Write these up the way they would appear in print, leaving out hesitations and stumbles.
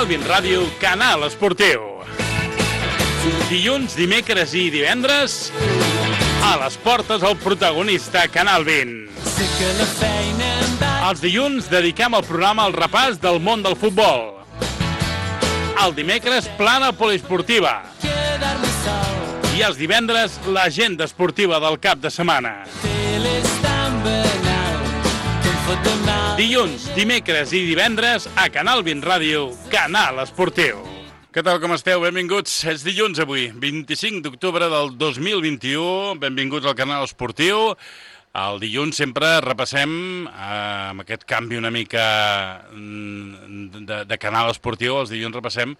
Bin Ràdio, Canal Esportiu. Dilluns, dimecres i divendres, a les portes el protagonista Canal Bin. Els dilluns dediquem el programa al repàs del món del futbol. El dimecres, plana poliesportiva. I els divendres, l'agenda esportiva del cap de setmana. Dilluns, dimecres i divendres a Canal Bin Ràdio, Canal Esportiu. Què tal, com esteu? Benvinguts. És dilluns avui, 25 d'octubre del 2021. Benvinguts al Canal Esportiu. El dilluns sempre repassem, amb aquest canvi una mica de Canal Esportiu, els dilluns repassem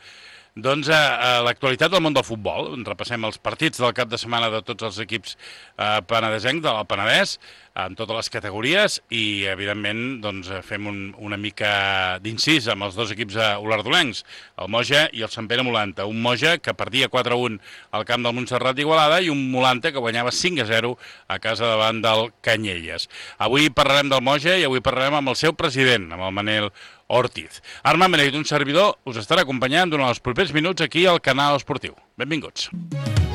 doncs a l'actualitat del món del futbol. Repassem els partits del cap de setmana de tots els equips penedesencs, del Penedès, en totes les categories, i evidentment doncs, fem una mica d'incís amb els dos equips olardolencs, el Moja i el Sant Pere Molanta. Un Moja que perdia 4-1 al camp del Montserrat d'Igualada i un Molanta que guanyava 5-0 a casa davant del Canyelles. Avui parlarem del Moja i avui parlarem amb el seu president, amb el Manel Ortiz. Armand Benedit, un servidor, us estarà acompanyant durant els propers minuts aquí al Canal Esportiu. Benvinguts.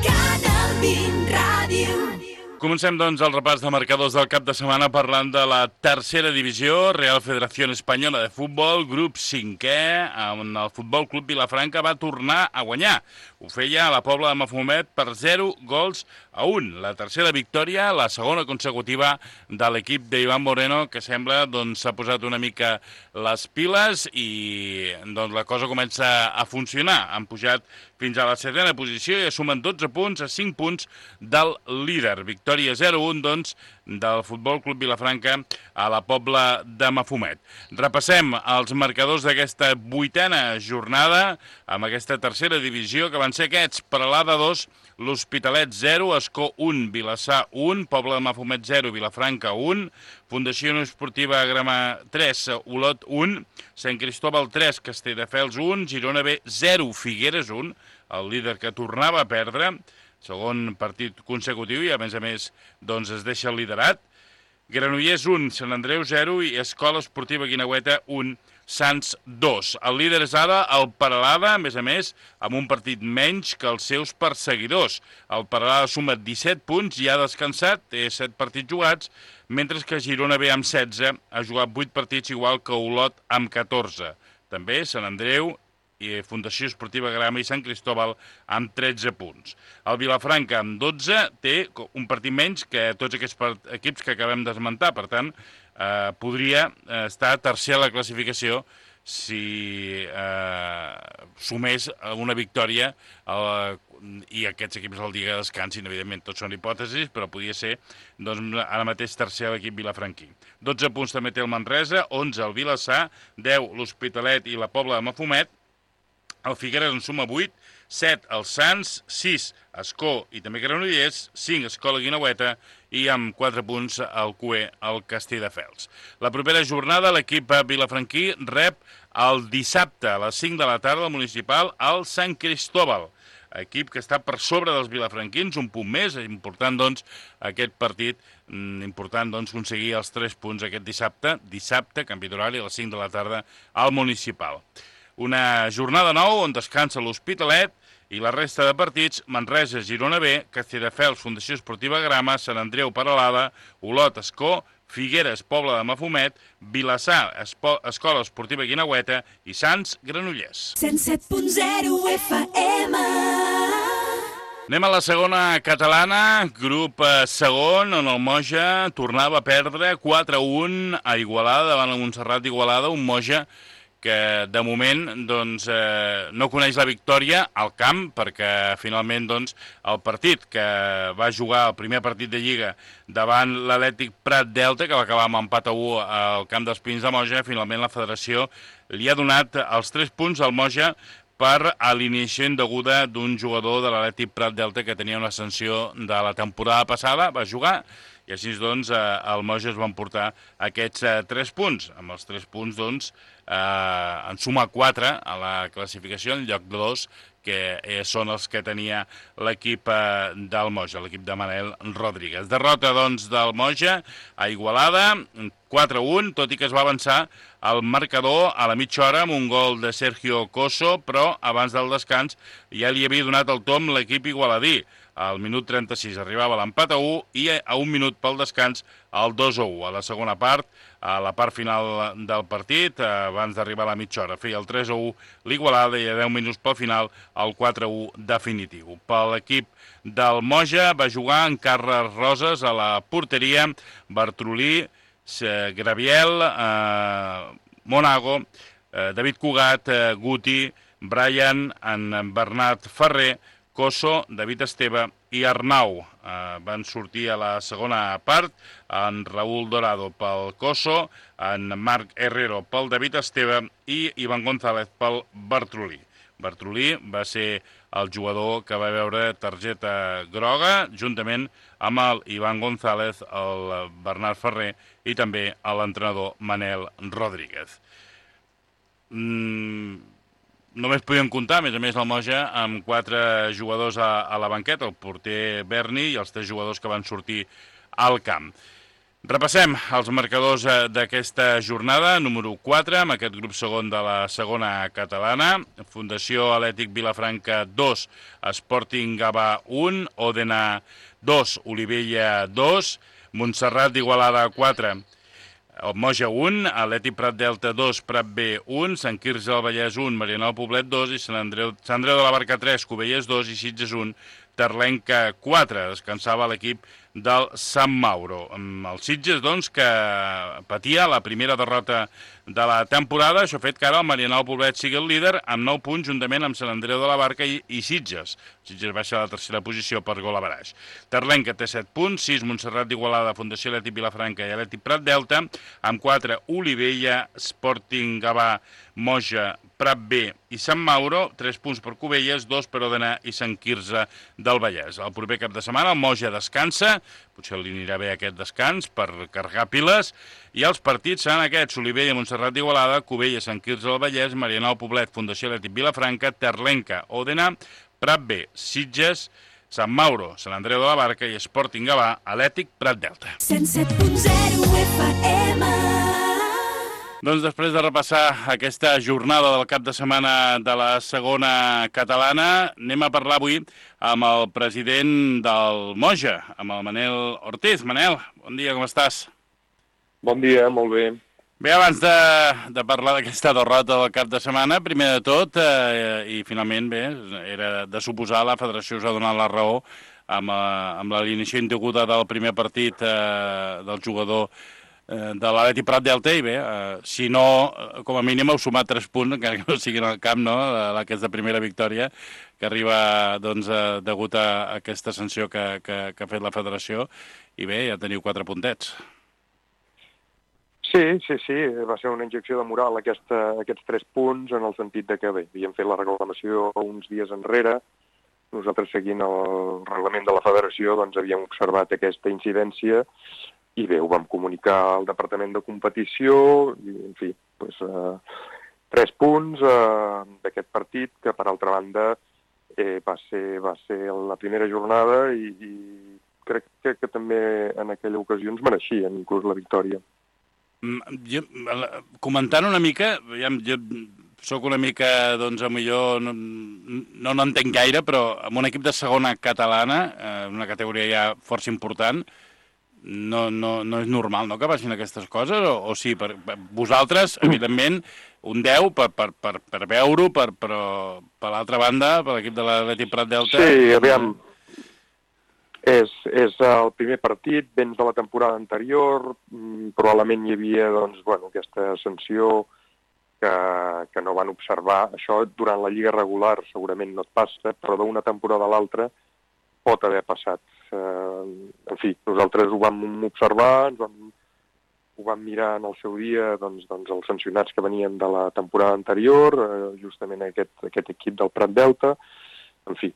Canal Bin Ràdio. Comencem, doncs, el repàs de marcadors del cap de setmana parlant de la tercera divisió, Real Federación Española de Futbol, grup 5è, on el Futbol Club Vilafranca va tornar a guanyar. Ho feia a la Pobla de Mafumet per 0-1. La tercera victòria, la segona consecutiva de l'equip d'Ivan Moreno, que sembla s'ha posat una mica les piles i la cosa comença a funcionar. Han pujat fins a la 7ª posició i sumen 12 punts a 5 punts del líder. Victòria 0-1, del Futbol Club Vilafranca a la Pobla de Mafumet. Repassem els marcadors d'aquesta 8ª jornada amb aquesta tercera divisió, que van ser aquests: Peralada 2, l'Hospitalet 0, Escó 1, Vilassar 1, Pobla de Mafumet 0, Vilafranca 1, Fundació Esportiva Grama 3, Olot 1, Sant Cristóbal 3, Castelldefels 1, Girona B 0, Figueres 1, el líder que tornava a perdre, segon partit consecutiu, i a més es deixa el liderat. Granollers 1, Sant Andreu 0 i Escola Esportiva Guineueta 1, Sants 2. El líder és ara el Peralada, a més, amb un partit menys que els seus perseguidors. El Peralada suma 17 punts i ha descansat, té 7 partits jugats, mentre que Girona B amb 16 ha jugat 8 partits, igual que Olot amb 14. També Sant Andreu i Fundació Esportiva Grama i Sant Cristóbal amb 13 punts. El Vilafranca amb 12 té un partit menys que tots aquests equips que acabem d'esmentar. Per tant, podria estar tercer a la classificació si sumés una victòria i aquests equips el dia que descansin. Evidentment, tots són hipòtesis, però podria ser ara mateix tercer a l'equip vilafranquí. 12 punts també té el Manresa, 11 el Vilassar, 10 l'Hospitalet i la Pobla de Mafumet. El Figueres en suma 8, 7 el Sants, 6 Escó i també Granollers, 5 Escola Guineueta i amb 4 punts el CUE, el Castelldefels. La propera jornada l'equip vilafranquí rep el dissabte a les 5 de la tarda al municipal al Sant Cristóbal. Equip que està per sobre dels vilafranquins, un punt més. És important, aquest partit, aconseguir els 3 punts aquest dissabte, canvi d'horari, a les 5 de la tarda al municipal. Una jornada nou on descansa l'Hospitalet i la resta de partits: Manresa, Girona B, Castelldefels, Fundació Esportiva Grama, Sant Andreu, Peralada, Olot, Escó, Figueres, Pobla de Mafumet, Vilassar, Escola Esportiva Guineueta i Sants, Granollers. 107.0 FM. Anem a la segona catalana, grup segon, on el Moja tornava a perdre 4-1 a Igualada, davant el Montserrat d'Igualada, un Moja que de moment no coneix la victòria al camp, perquè finalment el partit que va jugar, el primer partit de Lliga davant l'Atlètic Prat Delta, que va acabar amb empat a 1 al camp dels Pins de Moja, finalment la federació li ha donat els 3 punts al Moja per alineació indeguda d'un jugador de l'Atlètic Prat Delta que tenia una sanció de la temporada passada, va jugar i així doncs el Moja es va emportar aquests 3 punts. Amb els 3 punts doncs en suma 4 a la classificació en lloc de 2, que són els que tenia l'equip del Moja, l'equip de Manel Rodríguez. Derrota, doncs, del Moja a Igualada, 4-1, tot i que es va avançar el marcador a la mitja hora amb un gol de Sergio Coso, però abans del descans ja li havia donat el tom l'equip igualadí. Al minut 36 arribava l'empat a 1 i a un minut pel descans el 2-1. A la segona part, a la part final del partit, abans d'arribar a la mitja hora, feia el 3-1 l'Igualada i a 10 minuts pel final el 4-1 definitiu. Per l'equip del Moja va jugar en Carles Roses a la porteria, Bartrolí, Graviel, Monago, David Cugat, Guti, Brian, en Bernat Ferrer, Coso, David Esteve i Arnau. Van sortir a la segona part, en Raúl Dorado pel Coso, en Marc Herrero pel David Esteve i Ivan González pel Bartrolí. Bartrolí va ser el jugador que va veure targeta groga, juntament amb el Ivan González, el Bernat Ferrer i també l'entrenador Manel Rodríguez. Només podíem comptar, a més el Moja, amb 4 jugadors a la banqueta, el porter Berni i els 3 jugadors que van sortir al camp. Repassem els marcadors d'aquesta jornada, número 4, amb aquest grup segon de la segona catalana. Fundació Atlètic Vilafranca 2, Sporting Gavà 1, Òdena 2, Olivella 2, Montserrat d'Igualada 4, el Moja 1, Atlètic Prat Delta 2, Prat B 1, Sant Quirze del Vallès 1, Marianao Poblet 2 i Sant Andreu de la Barca 3, Cubelles 2 i Sitges 1, Terlenca 4. Descansava l'equip del Sant Mauro. El Sitges, doncs, que patia la primera derrota de la temporada. Això ha fet que ara el Marianao Poblet sigui el líder amb 9 punts, juntament amb Sant Andreu de la Barca i Sitges. Sitges baixa a la tercera posició per gol a baraix. Terlenca té 7 punts, 6 Montserrat d'Igualada, Fundació Atlètic Vilafranca i Atlètic Prat Delta, amb 4 Olivella, Sporting Gavà, Moja, Prat B i Sant Mauro, 3 punts per Cubelles, 2 per Òdena i Sant Quirze del Vallès. El proper cap de setmana el Moja descansa, potser li anirà bé aquest descans per carregar piles, i els partits seran aquests: Olivella, Montserrat d'Igualada, Cubelles, Sant Quirze del Vallès, Marianao Poblet, Fundació Atlètic Vilafranca, Terlenca, Òdena, Prat B, Sitges, Sant Mauro, Sant Andreu de la Barca i Sporting Gavà, Atlètic Prat Delta. 107.0 FM. Doncs després de repassar aquesta jornada del cap de setmana de la segona catalana, anem a parlar avui amb el president del Moja, amb el Manel Ortiz. Manel, bon dia, com estàs? Bon dia, molt bé. Bé, abans de parlar d'aquesta derrota del cap de setmana, primer de tot, i finalment, bé, era de suposar, la federació us ha donat la raó amb l'alineació indeguda del primer partit del jugador de l'Atlètic Prat Delta, i bé, si no, com a mínim heu sumat 3 punts, encara que no siguin al camp, no?, aquesta primera victòria que arriba, doncs, degut a aquesta sanció que ha fet la federació, i bé, ja teniu 4 puntets. Sí, va ser una injecció de moral aquests 3 punts, en el sentit de que, bé, havíem fet la reclamació uns dies enrere, nosaltres, seguint el reglament de la federació, doncs havíem observat aquesta incidència, i bé, ho vam comunicar al Departament de Competició, i, en fi, doncs, 3 punts d'aquest partit, que, per altra banda, va ser la primera jornada i crec que també en aquella ocasió ens mereixien inclús la victòria. Comentant una mica, jo soc una mica, doncs, millor no n'entenc gaire, però amb un equip de segona catalana, una categoria ja força important, no és normal, no?, que passin aquestes coses, o sí? Vosaltres, evidentment, un 10 per veure-ho, però per l'altra banda, per l'equip de l'Atlètic Prat Delta... Sí, aviam, és el primer partit, vens de la temporada anterior, probablement hi havia, doncs, bueno, aquesta sanció que no van observar. Això durant la lliga regular segurament no et passa, però d'una temporada a l'altra pot haver passat. En fi, nosaltres ho vam observar, ho vam mirar en el seu dia, doncs els sancionats que venien de la temporada anterior, justament aquest equip del Prat Delta, en fi,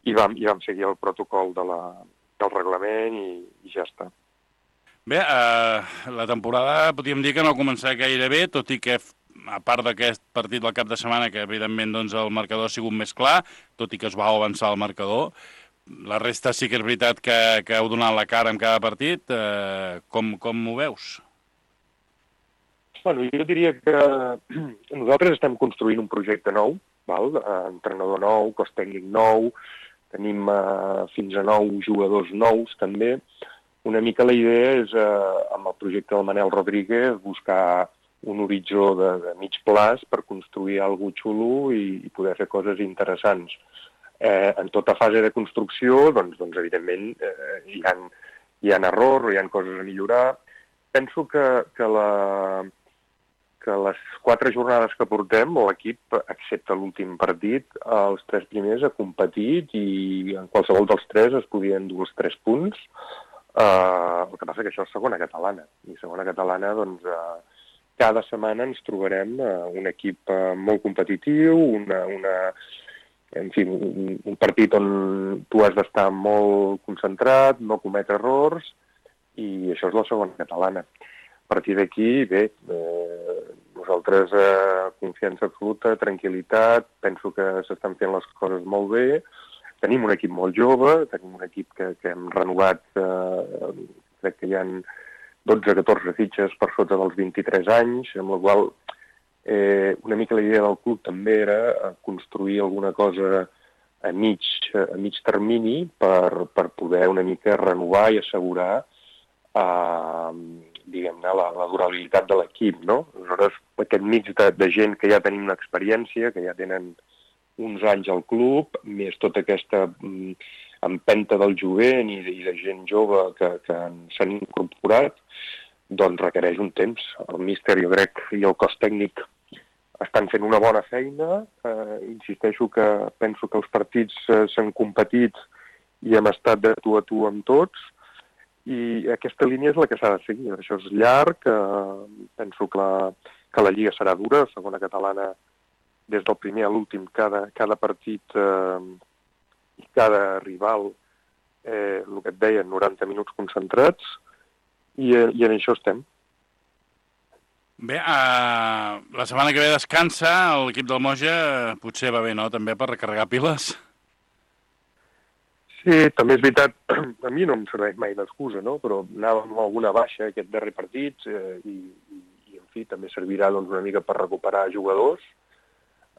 i vam seguir el protocol de el reglament i ja està. Bé, la temporada podríem dir que no ha començat gaire bé, tot i que, a part d'aquest partit del cap de setmana, que evidentment doncs, el marcador ha sigut més clar, tot i que es va avançar el marcador, la resta sí que és veritat que heu donat la cara en cada partit. Com ho veus? Bueno, jo diria que nosaltres estem construint un projecte nou, val? Entrenador nou, cos tècnic nou, tenim fins a 9 jugadors nous també. Una mica la idea és, amb el projecte del Manel Rodríguez, buscar un horitzó de mig plaç per construir alguna cosa xulo i poder fer coses interessants. En tota fase de construcció, doncs evidentment, hi ha errors, hi ha coses a millorar. Penso que les 4 jornades que portem, l'equip, excepte l'últim partit, els 3 primers ha competit i en qualsevol dels 3 es podien dur els 3 punts. El que passa que això és segona catalana. I segona catalana, doncs, cada setmana ens trobarem un equip molt competitiu, un partit on tu has d'estar molt concentrat, no cometre errors, i això és la segona catalana. A partir d'aquí, bé, nosaltres confiança absoluta, tranquil·litat, penso que s'estan fent les coses molt bé. Tenim un equip molt jove, tenim un equip que hem renovat, crec que hi ha 12-14 fitxes per sota dels 23 anys, amb la qual una mica la idea del club també era construir alguna cosa a mig termini per poder una mica renovar i assegurar diguem-ne, la durabilitat de l'equip, no? Aleshores, aquest mix de gent que ja tenim una experiència, que ja tenen uns anys al club, més tota aquesta empenta del jovent i de gent jove que s'han incorporat, doncs requereix un temps. El míster, jo crec, i el cos tècnic estan fent una bona feina. Insisteixo que penso que els partits s'han competit i hem estat de tu a tu amb tots, i aquesta línia és la que s'ha de seguir. Això és llarg, penso que la Lliga serà dura, segona catalana, des del primer a l'últim, cada partit i cada rival, el que et deia, 90 minuts concentrats, i en això estem. Bé, la setmana que ve descansa, l'equip del Moja potser va bé, no?, també per recarregar piles. Sí, també és veritat, a mi no em serveix mai d'excusa, no?, però anàvem amb alguna baixa aquest darrer partit i en fi, també servirà doncs, una mica per recuperar jugadors,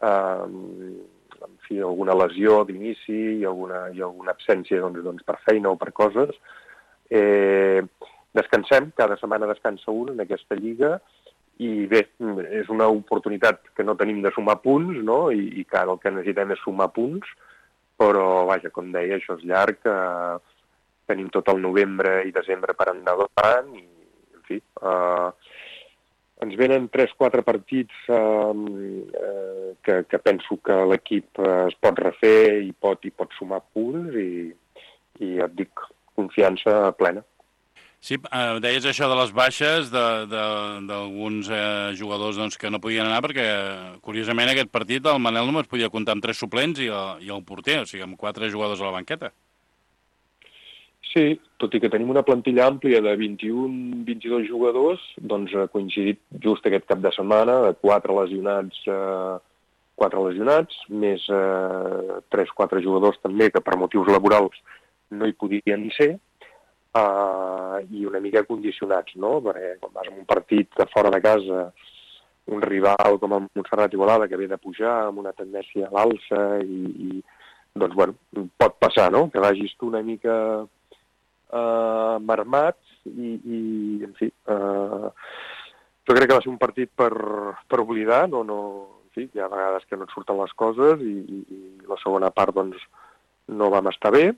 en fi, alguna lesió d'inici i alguna absència doncs, per feina o per coses. Descansem, cada setmana descansa un en aquesta lliga, i bé, és una oportunitat que no tenim de sumar punts, no?, i que ara el que necessitem és sumar punts, però, vaja, com deia, això és llarg, tenim tot el novembre i desembre per endavant, i, en fi, ens venen 3-4 partits que penso que l'equip es pot refer i pot sumar punts, i et dic, confiança plena. Sí, deies això de les baixes d'alguns jugadors doncs, que no podien anar, perquè, curiosament, aquest partit el Manel només podia comptar amb 3 suplents i el porter, o sigui, amb 4 jugadors a la banqueta. Sí, tot i que tenim una plantilla àmplia de 21-22 jugadors, doncs ha coincidit just aquest cap de setmana de 4 lesionats, més 3-4 jugadors també que per motius laborals no hi podien ser, i una mica condicionats, no? Perquè quan vas a un partit de fora de casa, un rival com el Montserrat Igualada, que ve de pujar amb una tendència a l'alça, i doncs, bueno, pot passar, no?, que vagis tu una mica marmat, i en fi, jo crec que va ser un partit per oblidar, en fi, hi ha vegades que no et surten les coses, i la segona part, doncs, no vam estar bé,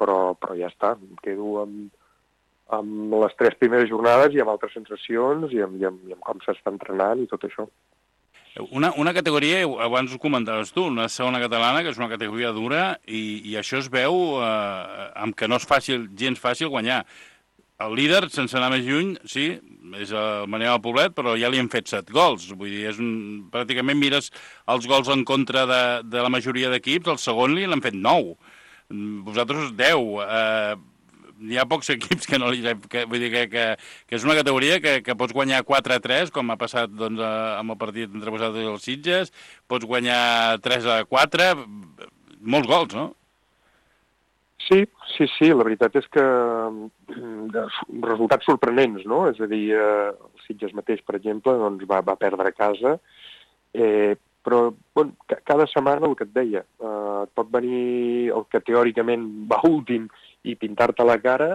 però ja està, em quedo amb les 3 primeres jornades i amb altres sensacions i amb com s'està entrenant i tot això. Una categoria, abans ho comentaves tu, una segona catalana, que és una categoria dura, i això es veu amb que no és gens fàcil guanyar. El líder, sense anar més lluny, sí, és el Manel Poblet, però ja li han fet 7 gols. Vull dir, pràcticament mires els gols en contra de la majoria d'equips, el segon li l'han fet 9. Vosaltres 10. hi ha pocs equips que no li... Vull dir que és una categoria que pots guanyar 4-3, com ha passat doncs, amb el partit entre vosaltres i els Sitges, pots guanyar 3-4, molts gols, no? Sí, la veritat és que resultats sorprenents, no? És a dir, el Sitges mateix, per exemple, doncs va perdre a casa, però bueno, cada setmana el que et deia, et pot venir el que teòricament va últim i pintar-te la cara,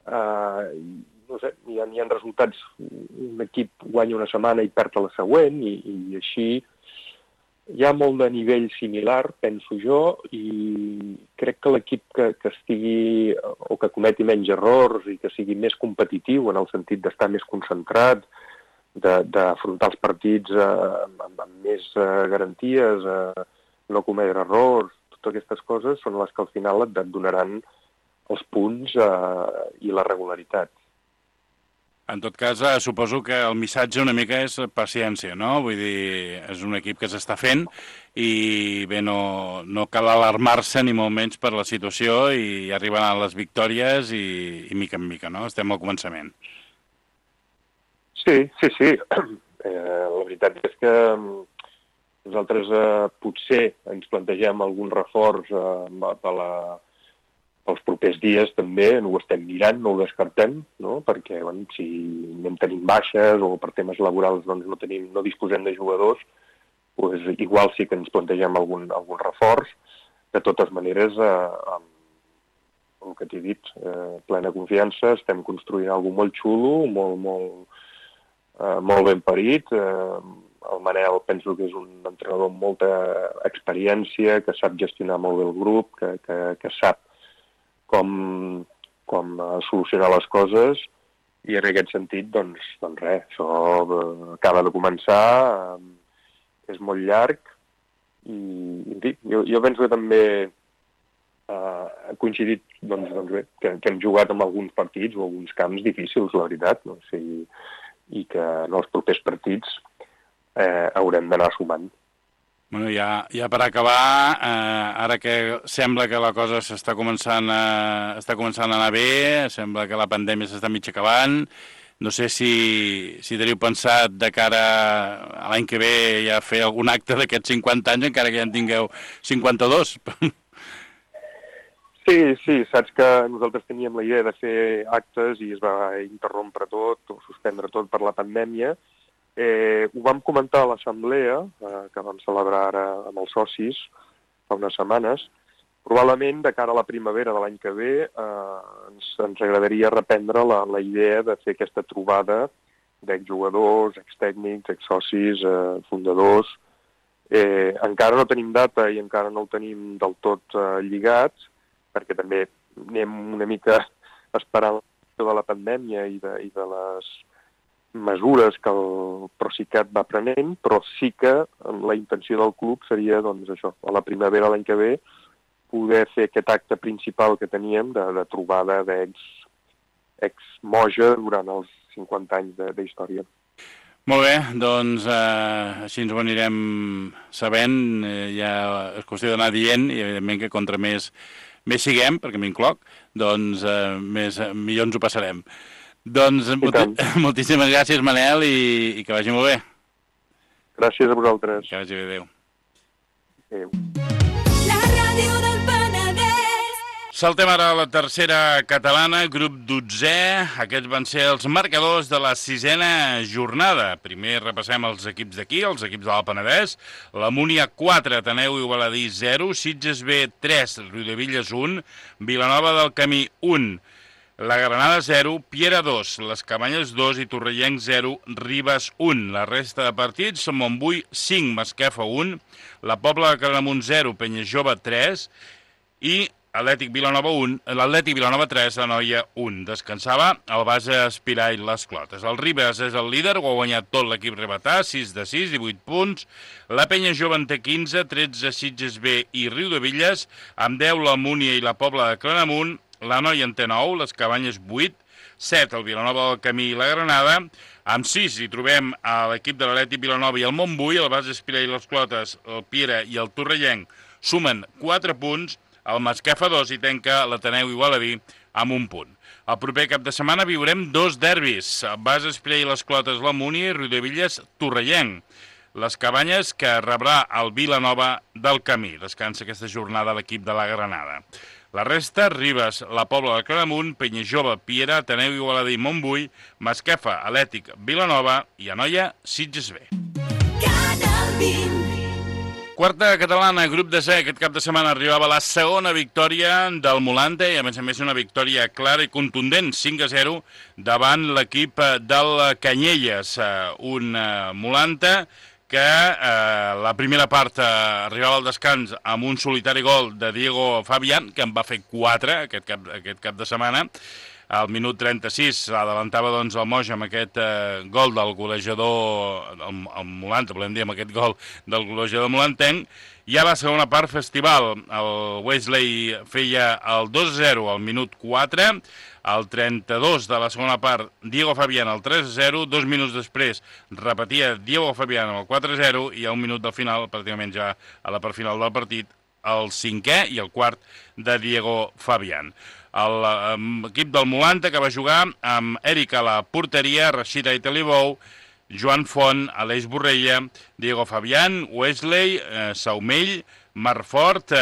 no sé, hi ha resultats, un equip guanya una setmana i perd a la següent, i així hi ha molt de nivell similar, penso jo, i crec que l'equip que estigui o que cometi menys errors i que sigui més competitiu en el sentit d'estar més concentrat, d'afrontar els partits amb més garanties, no cometre errors, totes aquestes coses són les que al final et donaran els punts i la regularitat. En tot cas, suposo que el missatge una mica és paciència, no? Vull dir, és un equip que s'està fent i bé, no cal alarmar-se ni molt menys per la situació i arribaran les victòries i mica en mica, no? Estem al començament. Sí. La veritat és que nosaltres potser ens plantegem algun reforç pels propers dies també, no ho estem mirant, no ho descartem, no? Perquè bueno, si anem tenint baixes o per temes laborals doncs no disposem de jugadors, doncs igual sí que ens plantegem algun reforç. De totes maneres, el que t'he dit, plena confiança, estem construint alguna molt xulo, molt ben parit. El Manel penso que és un entrenador amb molta experiència, que sap gestionar molt bé el grup, que sap com solucionar les coses, i en aquest sentit, doncs res, això acaba de començar, és molt llarg, i jo penso que també ha coincidit doncs bé, que hem jugat en alguns partits o alguns camps difícils, la veritat, no? I que en els propers partits haurem d'anar sumant. Bueno, ja per acabar, ara que sembla que la cosa està començant a anar bé, sembla que la pandèmia s'està mig acabant, no sé si teniu pensat de cara a l'any que ve ja fer algun acte d'aquests 50 anys, encara que ja en tingueu 52. Sí, saps que nosaltres teníem la idea de fer actes i es va interrompre tot, o suspendre tot per la pandèmia. Ho vam comentar a l'assemblea, que vam celebrar ara amb els socis fa unes setmanes. Probablement, de cara a la primavera de l'any que ve, ens agradaria reprendre la idea de fer aquesta trobada d'exjugadors, extècnics, exsocis, fundadors. Encara no tenim data i encara no el tenim del tot lligat, perquè també anem una mica esperant de la pandèmia i de les mesures que el Procicat va prenent, però sí que la intenció del club seria, doncs, això, a la primavera l'any que ve, poder fer aquest acte principal que teníem de trobada d'ex-moja durant els 50 anys d'història. Molt bé, doncs així ens ho anirem sabent, ja és qüestió d'anar dient, i evidentment que contra més siguem, perquè m'incloc, doncs millor ens ho passarem. Doncs moltíssimes gràcies, Manel, i que vagi molt bé. Gràcies a vosaltres. Que vagi bé, adéu. Adéu. La ràdio del Penedès. Saltem ara a la tercera catalana, grup 12è. Aquests van ser els marcadors de la 6a jornada. Primer repassem els equips d'aquí, els equips de l'Alt Penedès. La Múnia 4, Ateneu i Baladí 0, Sitges B 3, Riudevilles 1, Vilanova del Camí 1, la Granada 0, Piera 2, les Cabanyes 2 i Torrellenc 0, Ribes 1. La resta de partits, Montbui 5, Masquefa 1, la Pobla de Claramunt 0, Penyajove 3 i l'Atlètic Vilanova 3, la Noia 1. Descansava el base Espirà i les Clotes. El Ribes és el líder, ho ha guanyat tot l'equip rebetà, 6 de 6, 18 punts. La Penyajove en té 15, 13 Sitges B i Riudevilles, amb 10 la Múnia i la Pobla de Claramunt. La Noia en té 9, les Cabanyes 8, 7 el Vilanova del Camí i la Granada, amb 6 hi trobem a l'equip de l'Atlètic Vilanova i el Montbui, el base Espirà i les Clotes, el Piera i el Torrellenc sumen 4 punts, el Masquefa 2 hi tanca l'Ateneu i Baladí amb un punt. El proper cap de setmana viurem 2 derbis, Bas Espriell i les Clotes la Múnia i Riudevilles Torrellenc. Les Cabanyes, que rebrà el Vilanova del Camí. Descansa aquesta jornada l'equip de la Granada. La resta, Ribes, la Pobla de Claramunt, Penyajove, Piera, Ateneu, Igualada i Montbui, Masquefa, Atlètic, Vilanova i Anoia, Sitges B. Canal 20. Quarta catalana, grup de C. Aquest cap de setmana arribava la segona victòria del Molante i a més una victòria clara i contundent, 5-0, davant l'equip del Canyelles. Un Molante que la primera part arribava al descans amb un solitari gol de Diego Fabián, que en va fer 4 aquest cap de setmana. Al minut 36 s'adavantava doncs, el Moja amb aquest gol del golejador, el Molante, volem dir, amb aquest gol del golejador molantenc. I a la segona part, festival. El Wesley feia el 2-0 al minut 4, al 32 de la segona part, Diego Fabián el 3-0, 2 minuts després repetia Diego Fabián el 4-0 i a un minut del final, pràcticament ja a la part final del partit, el 5è i el 4 de Diego Fabián. L'equip del Molante que va jugar amb Eric a la porteria, Rashid Aitalibou, Joan Font, Aleix Borrella, Diego Fabián, Wesley, Saumell, Marfort,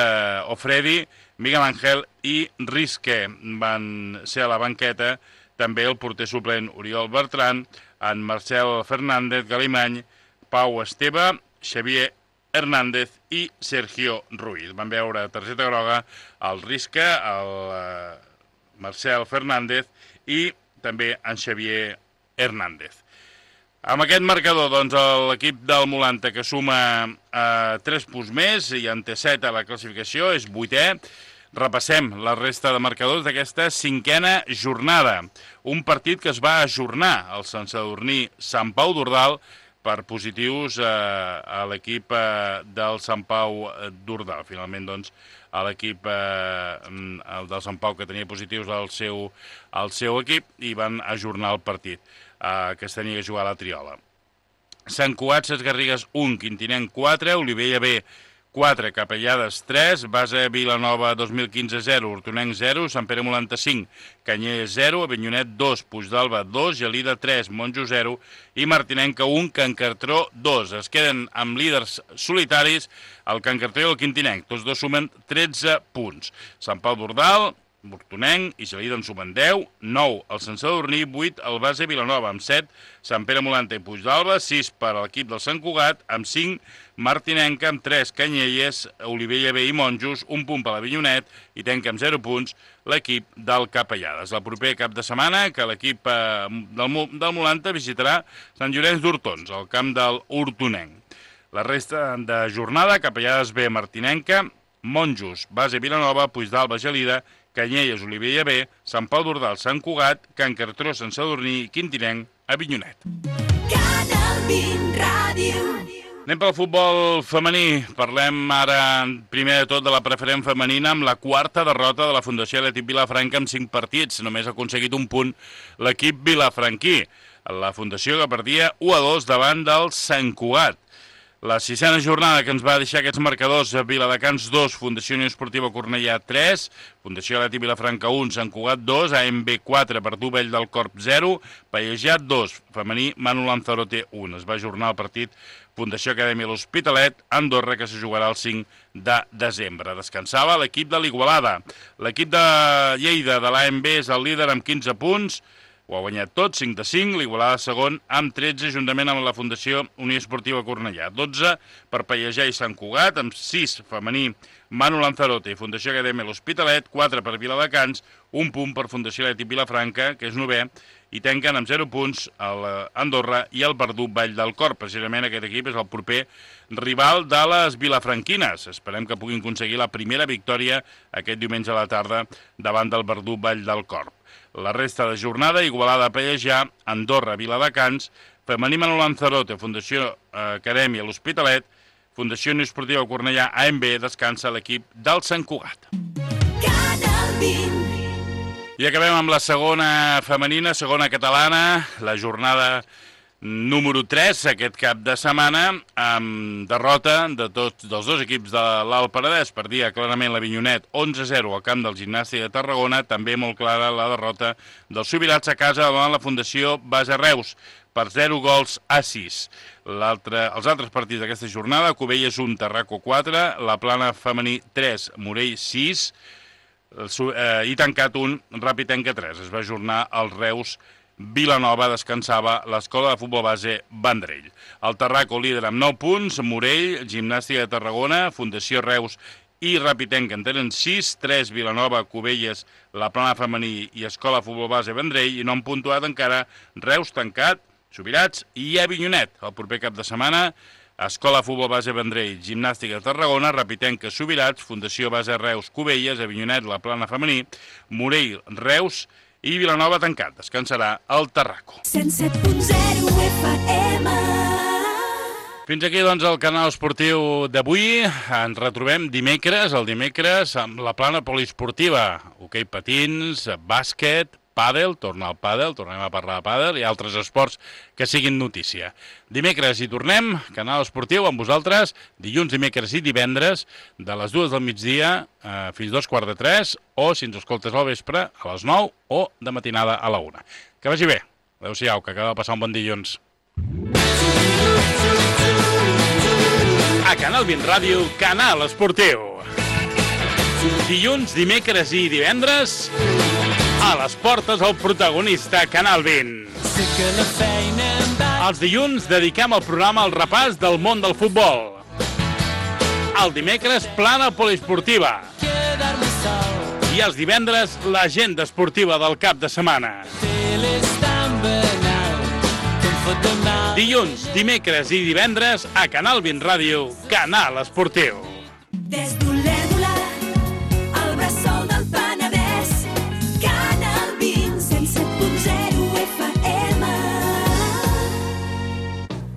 Ofredi, Miguel Ángel i Risque. Van ser a la banqueta també el porter suplent Oriol Bertran, en Marcel Fernández Galimany, Pau Esteve, Xavier Hernández i Sergio Ruiz. Van veure targeta groga el Risque, el Marcel Fernández i també en Xavier Hernández. Amb aquest marcador, doncs, l'equip del Molante, que suma 3 punts més i en té 7 a la classificació, és 8è. Repassem la resta de marcadors d'aquesta 5a jornada. Un partit que es va ajornar al Sant Sadurní Sant Pau d'Ordal per positius a l'equip del Sant Pau d'Ordal. Finalment, doncs, l'equip del Sant Pau que tenia positius al seu equip i van ajornar el partit que es tenia que jugar a la Triola. Sant Cugat, Ses Garrigues 1, Quintinenc 4, Olivella B 4, Capellades 3, Base Vilanova 2015 0, Hortonenc 0, Sant Pere Molanta 5, Canyelles 0, Avinyonet 2, Puigdàlber 2, Gelida 3, Monjo 0 i Martinenca 1, Can Cartró 2. Es queden amb líders solitaris el Can Cartró i el Quintinenc. Tots dos sumen 13 punts. Sant Pau d'Ordal, Hortonenc i Gelida en sumen 10, 9 el Sant Sadurní, 8 el Base Vilanova amb 7, Sant Pere Molanta i Puigdàlber, 6 per a l'equip del Sant Cugat, amb 5 Martinenca, amb 3 Canyelles, Olivella B i Monjos, un punt per l'Avinyonet i tanca amb 0 punts l'equip del Capellades. El proper cap de setmana que l'equip del Molanta visitarà Sant Llorenç d'Hortons, al camp del Hortonenc. La resta de jornada, Capellades B, Martinenca, Monjos, Base Vilanova, Puigdàlber, Gelida, Canyelles, Olivella B, Sant Pau d'Ordal, Sant Cugat, Can Cartró, Sant Sadurní i Quintinenc, Avinyonet. Canal 20 Ràdio. Anem pel futbol femení. Parlem ara, primer de tot, de la preferent femenina amb la quarta derrota de la Fundació Atlètic Vilafranca amb 5 partits. Només ha aconseguit un punt l'equip vilafranquí. La Fundació que perdia 1-2 davant del Sant Cugat. La 6a jornada que ens va deixar aquests marcadors: Viladecans 2, Fundació Unió Esportiva Cornellà 3, Fundació Atlètic Vilafranca 1, Sant Cugat 2, AMB 4, Verdú Vell del Corp 0, Pallejà 2, femení Manu Lanzarote 1. Es va ajornar el partit Fundació Acadèmia L'Hospitalet, Andorra, que se jugarà el 5 de desembre. Descansava l'equip de l'Igualada. L'equip de Lleida de l'AMB és el líder amb 15 punts, ho ha guanyat tot, 5-5, l'Igualada segon amb 13, juntament amb la Fundació Unió Esportiva Cornellà. 12 per Pallejà i Sant Cugat, amb 6 femení Manu Lanzarote i Fundació Acadèmia L'Hospitalet, 4 per Viladecans, un punt per Fundació Atlètic Vilafranca, que és 9è, i tanquen amb 0 punts l'Andorra i el Verdú Vall del Corp. Precisament aquest equip és el proper rival de les vilafranquines. Esperem que puguin aconseguir la primera victòria aquest diumenge a la tarda davant del Verdú Vall del Corp. La resta de jornada, Igualada, Pallejà, Andorra, Viladecans, femení Manu Lanzarote, Fundació Acadèmia L'Hospitalet, Fundació Unió Esportiva Cornellà, AMB, descansa l'equip del Sant Cugat. Canal 20. I acabem amb la segona femenina, segona catalana. La jornada número 3 aquest cap de setmana, amb derrota dels dos equips de l'Alt Penedès. Perdia clarament l'Avinyonet 11-0 al camp del Gimnàstic de Tarragona, també molt clara la derrota dels Subirats a casa davant la Fundació Base Reus, per 0 gols a 6. Els altres partits d'aquesta jornada: Cubelles 1, Tarraco 4, La Plana femení 3, Morell 6, i tancat 1, Ràpid-Tenca 3. Es va ajornar el Reus Vilanova, descansava l'Escola de Futbol Base Vendrell. El Tarraco líder amb 9 punts, Morell, Gimnàstica de Tarragona, Fundació Reus i Ràpid-Tenca en tenen 6, 3 Vilanova, Cubelles, La Plana femení i Escola de Futbol Base Vendrell, i no han puntuat encara Reus, Tancat, Subirats i Avinyonet. El proper cap de setmana, Escola de Futbol Base Vendrell, Gimnàstica de Tarragona, Ràpid-Tenca, Subirats, Fundació Base Reus, Cubelles, Avinyonet, La Plana femení, Morell, Reus i Vilanova Tancat. Descansarà el Tarraco. 107.0 FM. Fins aquí, doncs, el canal esportiu d'avui. Ens retrobem dimecres, amb la plana poliesportiva. Hoquei patins, bàsquet, pàdel, torna al pàdel, tornem a parlar de pàdel i altres esports que siguin notícia. Dimecres hi tornem, canal esportiu amb vosaltres, dilluns, dimecres i divendres, de les 2 del migdia fins 2:15, o si ens escoltes al vespre, a les 9 o de matinada a la 1. Que vagi bé. Adéu-siau, que acaba de passar un bon dilluns. A Canal 20 Ràdio, canal esportiu. Dilluns, dimecres i divendres, a les portes el protagonista, Canal 20. Els dilluns dediquem el programa al repàs del món del futbol. El dimecres, plana poliesportiva. I els divendres, l'agenda esportiva del cap de setmana. Dilluns, dimecres i divendres, a Canal 20 Ràdio, canal esportiu. Des d'Olesa